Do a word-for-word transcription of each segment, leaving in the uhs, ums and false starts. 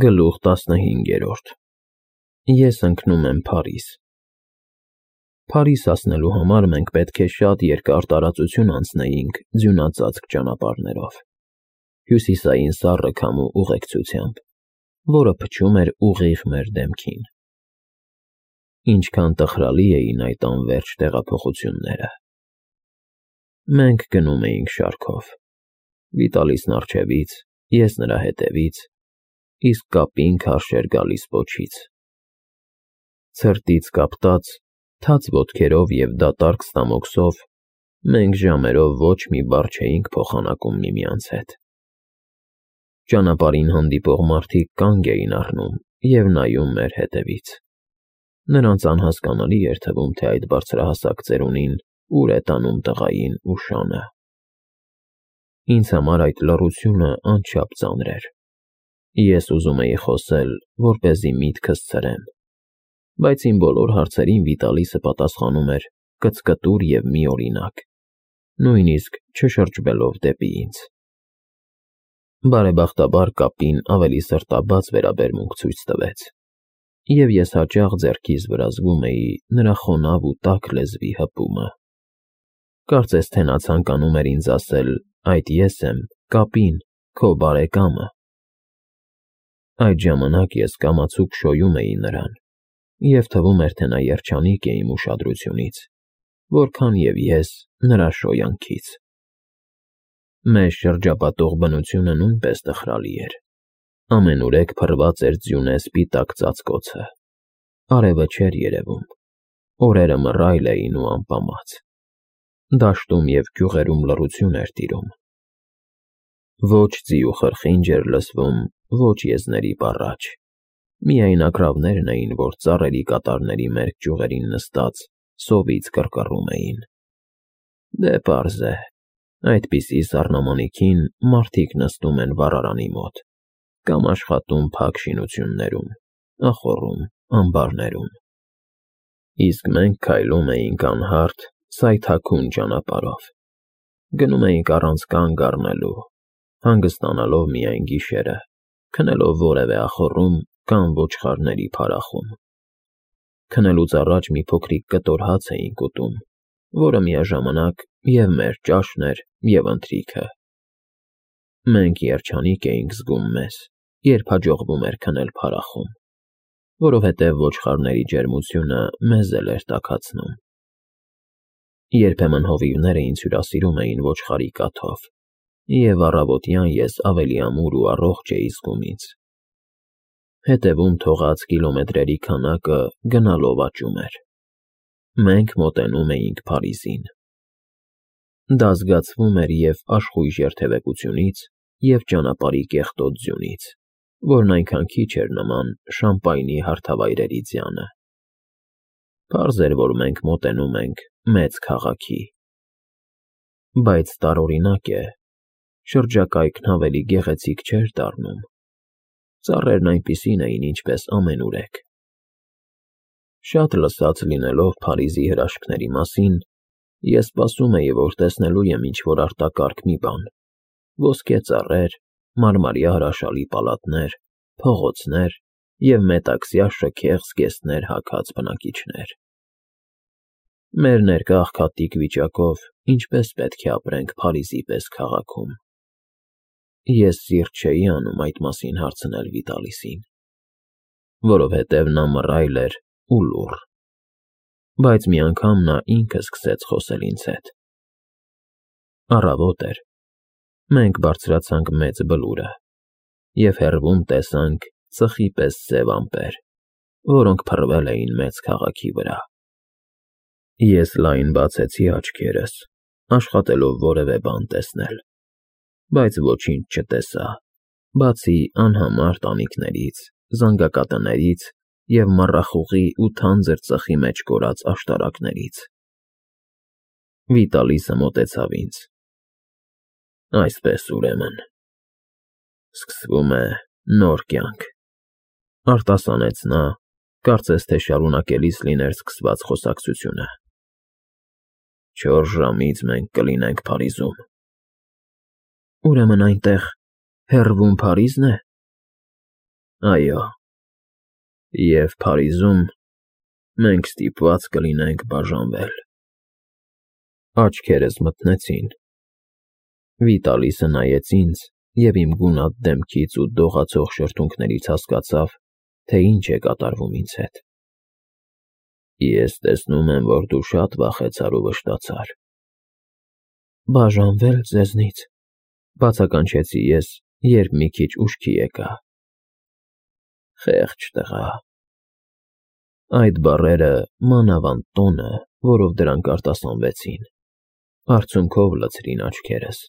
Գլուխ տասնհինգերորդ Ես ընկնում եմ Փարիզ։ Փարիզ հասնելու համար մենք պետք է շատ երկար տարածություն անցնեինք ձյունածածկ ճանապարհներով, հյուսիսային սառը քամու ուղեկցությամբ, որը փչում էր ուղիղ մեր դեմքին։ Ինչքան տխրալի էին այդ անվերջ տեղափոխությունները։ Մենք գնում էինք շարքով, Վիտալիսն առջևից, ես նրա հետևից, իսկ կապին քարշ էր գալիս պոչից։ Ցրտից կապտած, թաց ոտքերով և դատարկ ստամոքսով, մենք ժամերով ոչ մի բառ չէինք փոխանակում միմյանց հետ։ Ճանապարհին հանդիպող մարդիկ կանգ էին առնում և նայում մեր հետևից։ Նրանց անհասկանալի էր թվում, թե այդ բարձրահասակ ծերունին ուր է տանում տղային ու շանը։ Ինձ համար այդ լռությունը անչափ ծանր էր։ Ես ուզում էի խոսել, որպեսզի միտքս ցրեմ, բայց իմ բոլոր հարցերին Վիտալիսը պատասխանում էր կծկտուր և միօրինակ, նույնիսկ չշրջվելով դեպի ինձ։ Բարեբախտաբար կապին ավելի սրտաբաց վերաբերմունք ցույց տվեց, և ես հաճախ ձեռքիս վրա զգում էի նրա խոնավ ու տաք լեզվի հպումը։ Կարծես թե նա ցանկանում էր ինձ ասել. «Այդ ես եմ, Կապին, քո բարեկամը»։ Այդ ժամանակ ես կամացուկ շոյում էի նրան, և թվում էր, թե նա երջանիկ է իմ ուշադրությունից, որքան և ես նրա շոյանքից։ Մեզ շրջապատող բնությունը նույնպես տխրալի էր։ Ամենուրեք փռված էր ձյունե սպիտակ ծածկոցը, արևը չէր երևում, օրերը մռայլ էին ու ամպամած։ Դաշտում և գյուղերում լռություն էր տիրում։ Ոչ ձի ու խրխինջ էր լսվում, ոչ եզների բառաչ, միայն ագռավներն էին, որ ծառերի կատարների մերկ ճյուղերին նստած սովից կռկռում էին։ Դե պարզ է, այդպիսի սառնամանիքին մարդիկ նստում են վառարանի մոտ կամ աշխատում փակ շինություններում, ախոռում, ամբարներում։ Իսկ մենք քայլում էինք անհարթ, սայթաքուն ճանապարհով, գնում էինք առանց կանգ առնելու, հանգստանալով միայն գիշերը, քնելով որևէ ախոռում կամ ոչխարների փարախում։ Քնելուց առաջ մի փոքրիկ կտոր հաց էինք ուտում, որը միաժամանակ և մեր ճաշն էր, և ընթրիքը։ Մենք երջանիկ էինք զգում մեզ, երբ հաջողվում էր քնել փարախում, որովհետև ոչխարների ջերմությունը մեզ էլ էր տաքացնում։ Երբեմն հովիվները ինձ հյուրասիրում էին ոչխարի կաթով, և առավոտյան ես ավելի ամուր ու առողջ էի զգում ինձ։ Հետևում թողած կիլոմետրերի քանակը գնալով աճում էր։ Մենք մոտենում էինք Փարիզին։ Դա զգացվում էր և աշխույժ երթևեկությունից, և ճանապարհի կեղտոտ ձյունից, որն այնքան քիչ էր նման Շամպայնի հարթավայրերի ձյանը։ Պարզ էր, որ մենք մոտենում ենք մեծ քաղաքի։ Բայց տարօրինակ է, շրջակայքն ավելի գեղեցիկ չէր դառնում։ Ծառերն այնպիսին էին, ինչպես ամենուրեք։ Շատ լսած լինելով Փարիզի հրաշքների մասին, ես սպասում էի, որ տեսնելու եմ ինչ-որ արտակարգ մի բան՝ ոսկե ծառեր, մարմարյա հրաշալի պալատներ, փողոցներ և մետաքսյա շքեղ զգեստներ հագած բնակիչներ։ Մեր ներկա աղքատիկ վիճակով ինչպե՞ս պետք է ապրենք Փարիզի պես քաղաքում։ Ես սիրտ չէի անում այդ մասին հարցնել Վիտալիսին, որովհետև նա մռայլ էր ու լուռ։ Բայց մի անգամ նա ինքը սկսեց խոսել ինձ հետ։ Առավոտ էր։ Մենք բարձրացանք մեծ բլուրը և հեռվում տեսանք ծխի պես սև ամպեր, որոնք փռվել էին մեծ քաղաքի վրա։ Ես լայն բացեցի աչքերս, աշխատելով որևէ բան տեսնել, բայց ոչինչ չտեսա, բացի անհամար տանիքներից, զանգակատներից և մառախուղի ու թանձր ծխի մեջ կորած աշտարակներից։ Վիտալիսը մոտեցավ ինձ։ Այսպես, ուրեմն, սկսվում է նոր կյանք, արտասանեց նա, կարծես թե շարունակելիս լիներ սկսված խոսակցությունը։ Չորս ժամից մենք կլինենք Փարիզում։ Ուրեմն այնտեղ հեռվում Փարիզն է։ Այո, և Փարիզում մենք ստիպված կլինենք բաժանվել։ Աչքերս մթնեցին։ Վիտալիսը նայեց ինձ և իմ գունատ դեմքից ու դողացող շրթունքներից հասկացավ, թե ինչ է կատարվում ինձ հետ։ Ես տեսնում եմ, որ դու շատ վախեցար ու վշտացար։ Բաժանվե՞լ ձեզնից, բացականչեցի ես, երբ մի քիչ ուշքի եկա։ Խեղճ տղա։ Այդ բառերը, մանավանդ տոնը, որով դրանք արտասանվեցին, արցունքով լցրին աչքերս։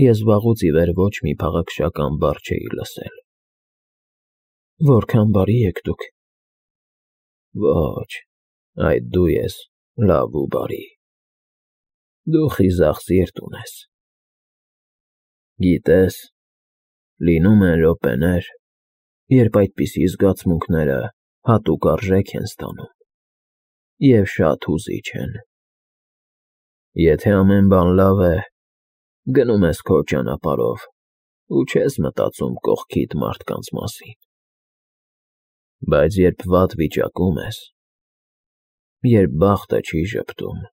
Ես վաղուց ի վեր ոչ մի փաղաքշական բառ չէի լսել։ Որքան բարի եք դուք։ Ոչ, այդ դու ես լավ ու բարի։ Դու խիզախ սիրտ ունես։ Գիտես, լինում են րոպեներ, երբ այդպիսի զգացմունքները հատուկ արժեք են ստանում և շատ հուզիչ են։ Եթե ամեն բան լավ է, գնում ես քո ճանապարհով ու չես մտածում կողքիդ մարդկանց մասին։ Բայց երբ վատ վիճակում ես, երբ բախտը չի ժպտում,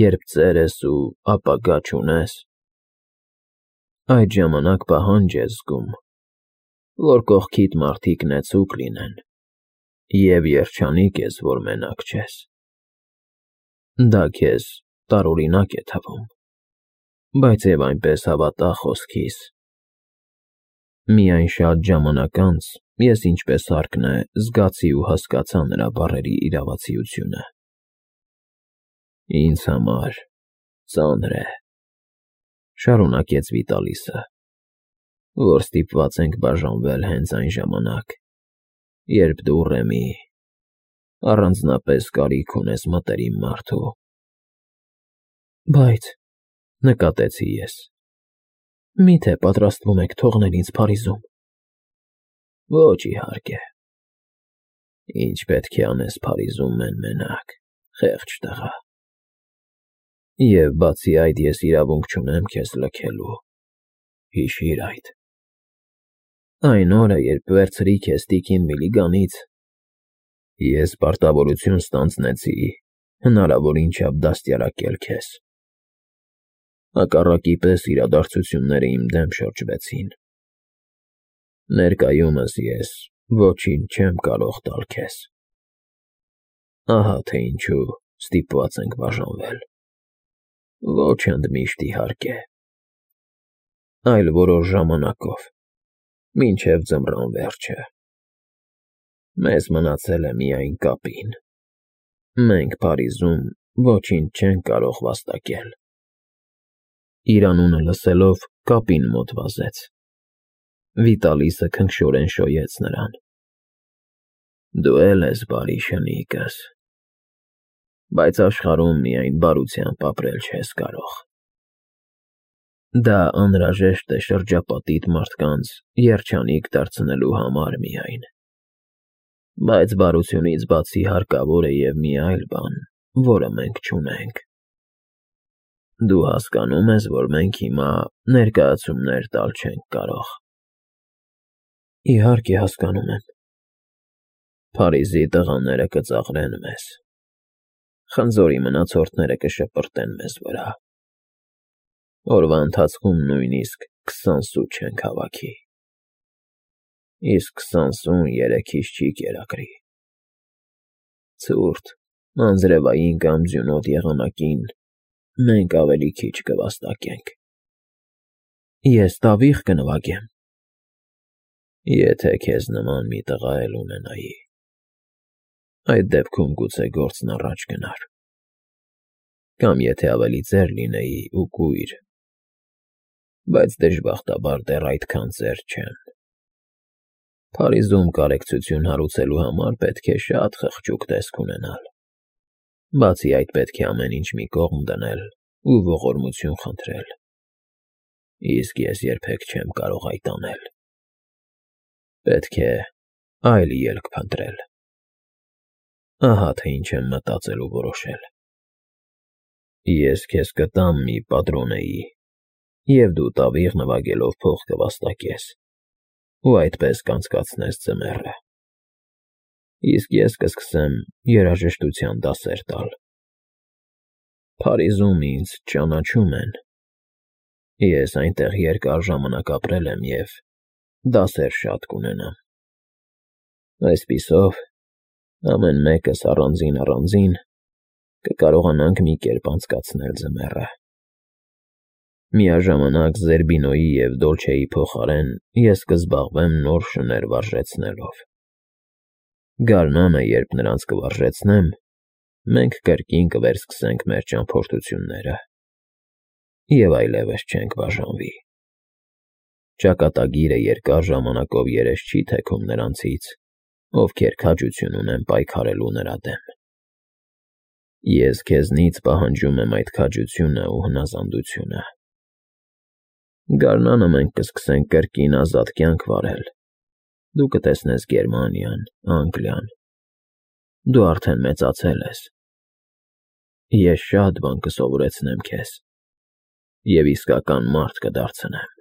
երբ ծեր ես ու ապագա չունես, այդ ժամանակ պահանջ ես զգում, որ կողքիդ մարդիկ նեցուկ լինեն, և երջանիկ ես, որ մենակ չես։ Դա քեզ տարօրինակ է թվում, բայց և այնպես հավատա խոսքիս։ Միայն շատ ժամանակ անց ես ինչպես հարկն է զգացի ու հասկացա նրա բառերի իրավացիությունը։ Ինձ համար ծանր է, շարունակեց Վիտալիսը, որ ստիպված ենք բաժանվել հենց այն ժամանակ, երբ դու, Ռեմի, առանձնապես կարիք ունես մտերիմ մարդու։ Բայց, նկատեցի ես, միթե պատրաստվում եք թողնել ինձ Փարիզում։ Ոչ, իհարկե։ Ինչ պետք է անես Փարիզում մեն֊մենակ, խեղճ տղա։ Եվ բացի այդ, ես իրավունք չունեմ քեզ լքելու, հիշիր այդ։ Այն օրը, երբ վերցրի քեզ տիկին Միլիգանից, ես պարտավորություն ստանձնեցի հնարավոր ինչափ դաստիարակել քեզ։ Հակառակի պես իրադարձությունները իմ դեմ շրջվեցին։ Ներկայումս ես ոչինչ չեմ կարող տալ քեզ։ Ահա թե ինչու ստիպված ենք բաժանվել։ Ոչ ընդմիշտ, իհարկե, այլ որոշ ժամանակով, մինչև ձմռան վերջը։ Մեզ մնացել է միայն կապին։ Մենք Փարիզում ոչինչ չենք կարող վաստակել։ Իր անունը լսելով կապին մոտ վազեց։ Վիտալիսը քնքշորեն շոյեց նրան։ Դու էլ ես բարի, շնիկս, բայց աշխարհում միայն բարությամբ ապրել չես կարող։ Դա անհրաժեշտ է շրջապատիդ մարդկանց երջանիկ դարձնելու համար միայն։ Բայց բարությունից բացի հարկավոր է և մի այլ բան, որը մենք չունենք։ Դու հասկանո՞ւմ ես, որ մենք հիմա ներկայացումներ տալ չենք կարող։ Իհարկե հասկանում եմ։ Փարիզի տղաները կծաղրեն մեզ։ Խնձորի մնացորդները կշպրտեն մեզ վրա։ Օրվա ընթացքում նույնիսկ քսան սու չենք հավաքի։ Իսկ քսան սուն երեքիս չի կերակրի։ Ցուրտ, անձրևային կամ ձյունոտ եղանակին մենք ավելի քիչ կվաստակենք։ Ես տավիղ կնվագեմ։ Եթե քեզ նման մի տղա էլ ունենայի, այդ դեպքում գուցե գործն առաջ գնար։ Կամ եթե ավելի ծեր լինեի ու կույր, բայց դժբախտաբար դեռ այդքան ծեր չեմ։ Փարիզում կարեկցություն հարուցելու համար պետք է շատ խղճուկ տեսք ունենալ։ Բացի այդ, պետք է ամեն ինչ մի կողմ դնել ու ողորմություն խնդրել։ Իսկ ես երբեք չեմ կարող այդ անել։ Պետք է այլ ելք փնտրել։ Ահա թե ինչ եմ մտածել ու որոշել։ Ես քեզ կտամ մի պատրոնեի, և դու տավիղ նվագելով փող կվաստակես, ու այդպես կանցկացնես ձմեռը։ Իսկ ես կսկսեմ երաժշտության դասեր տալ։ Փարիզում ինձ ճանաչում են։ Ես այնտեղ երկար ժամանակ ապրել եմ և դասեր շատ կունենամ։ Այսպիսով, ամեն մեկս առանձին֊առանձին կկարողանանք մի կերպ անցկացնել ձմեռը։ Միաժամանակ Զերբինոյի և Դոլչեի փոխարեն ես կզբաղվեմ նոր շներ վարժեցնելով։ Գարնանը, երբ նրանց կվարժեցնեմ, մենք կրկին կվերսկսենք մեր ճամփորդությունները և այլևս չենք բաժանվի։ Ճակատագիրը երկար ժամանակով երես չի թեքում նրանցից, ովքեր քաջություն ունեն պայքարելու նրա դեմ։ Ես քեզնից պահանջում եմ այդ քաջությունն ու հնազանդությունը։ Գարնանը մենք կսկսենք կրկին ազատ կյանք վարել։ Դու կտեսնես Գերմանիան, Անգլիան։ Դու արդեն մեծացել ես։ Ես շատ բան կսովորեցնեմ քեզ և իսկական մարդ կդարձնեմ։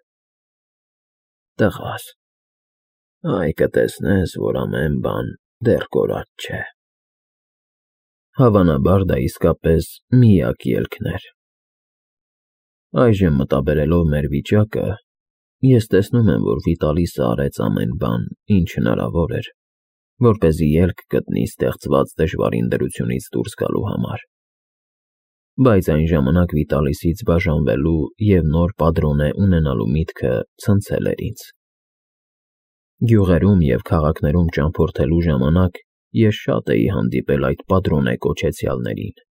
Տղաս, այ կտեսնես, որ ամեն բան դեռ կորած չէ։ Հավանաբար դա իսկապես միակ ելքն էր։ Այժմ մտաբերելով մեր վիճակը, ես տեսնում եմ, որ Վիտալիսը արեց ամեն բան, ինչ հնարավոր էր, որպեսզի ելք գտնի ստեղծված դժվարին դրությունից դուրս գալու համար։ Բայց այն ժամանակ Վիտալիսից բաժանվելու և նոր պատրոնե ունենալու միտքը ցնցել էր ինձ։ Գյուղերում և քաղաքներում ճամփորդելու ժամանակ ես շատ էի հանդիպել այդ պատրոնե կոչեցյալներին,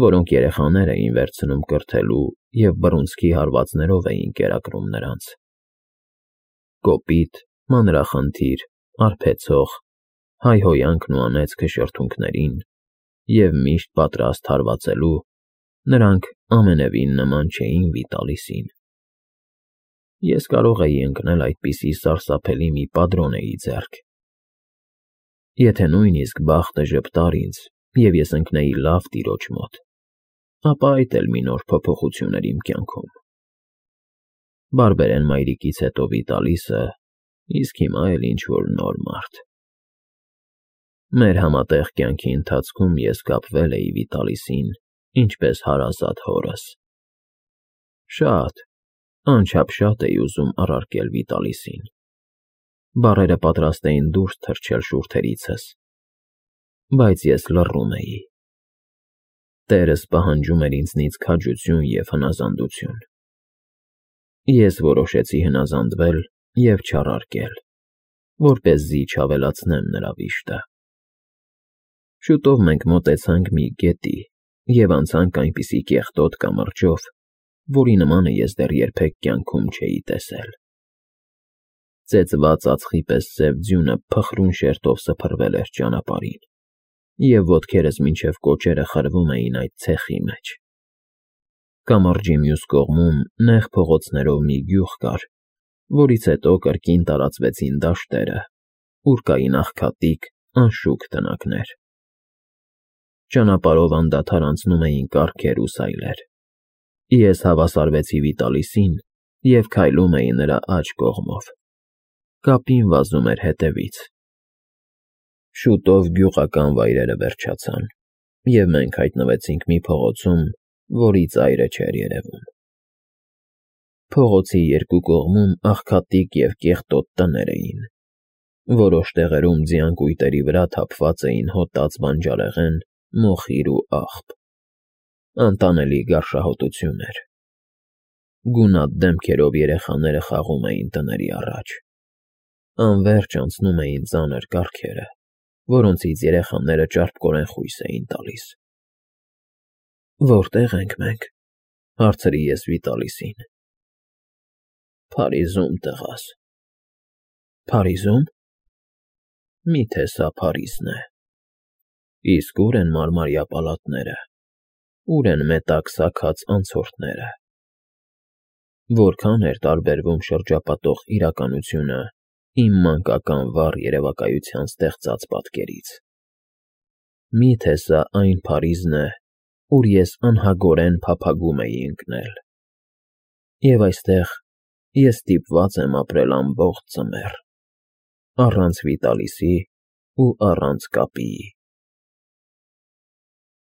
որոնք երեխաներ էին վերցնում կրթելու և բռունցքի հարվածներով էին կերակրում նրանց։ Կոպիտ, մանրախնդիր, արբեցող, հայհոյանքն ու անեծքը շրթունքներին և միշտ պատրաստ հարվածելու, նրանք ամենևին նման չէին Վիտալիսին։ Ես կարող էի ընկնել այդպիսի սարսափելի մի պատրոնեի ձեռք։ Եթե նույնիսկ բախտը ժպտար ինձ, և ես ընկնեի լավ տիրոջ մոտ, ապա այդ էլ մի նոր փոփոխություն էր իմ կյանքում։ Բարբերեն մայրիկից հետո Վիտալիսը, իսկ հիմա էլ ինչ-որ նոր մարդ։ Մեր համատեղ կյանքի ընթացքում ես կապվել էի Վիտալիսին, ինչպես հարազատ հորս։ Շատ, անչափ շատ էի ուզում առարկել Վիտալիսին։ Բառերը պատրաստ էին դուրս թռչել շուրթերիցս, բայց ես լռում էի։ Տերս պահանջում էր ինձնից քաջություն և հնազանդություն։ Ես որոշեցի հնազանդվել և չառարկել, որպեսզի չավելացնեմ նրա վիշտը։ Շուտով մենք մոտեցանք մի գետի և անցանք այնպիսի կեղտոտ կամրջով, որի նմանը ես դեռ երբեք կյանքում չէի տեսել։ Ծեծված ածխի պես սև ձյունը փխրուն շերտով սփռվել էր ճանապարհին, և ոտքերս մինչև կոճերը խրվում էին այդ ցեխի մեջ։ Կամրջի մյուս կողմում նեղ փողոցներով մի գյուղ կար, որից հետո կրկին տարածվեցին դաշտերը, ուր կային աղքատիկ, անշուք տնակներ։ Ճանապարհով անդադար անցնում էին կառքեր ու սայլեր։ Ես հավասարվեցի Վիտալիսին և քայլում էի նրա աջ կողմով։ Կապին վազում էր հետևից։ Շուտով գյուղական վայրերը վերջացան, և մենք հայտնվեցինք մի փողոցում, որի ծայրը չէր երևում։ Փողոցի երկու կողմում աղքատիկ և կեղտոտ տներ էին։ Որոշ տեղերում ձյան կույտերի վրա թափված էին հոտած բանջարեղեն, մոխիր ու աղբ։ Անտանելի գարշահոտություն էր։ Գունատ դեմքերով երեխաները խաղում էին տների առաջ։ Անվերջ անցնում էին ծանր կառքերը, որոնցից երեխաները ճարպկորեն խույս էին տալիս։ «Որտե՞ղ ենք մենք,֊ հարցրի ես Վիտալիսին։ «Փարիզում, տղաս»։ «Փարիզում։ Մի՞թե սա Փարիզն է։ Իսկ ո՞ւր են մարմարյա պալատները, ո՞ւր են մետք սաքած անցորդները։ Որքա՞ն էր տարբերվում շրջապատող իրականությունը իմ մանկական վառ երևակայության ստեղծած պատկերից։ Մի՞թե սա այն Փարիզն է, ուր ես անհագորեն փափագում էի ընկնել։ Եվ այստեղ ես ստիպված եմ ապրել ամբողջ ձմեռ, առանց Վիտալիսի ու առանց կապիի։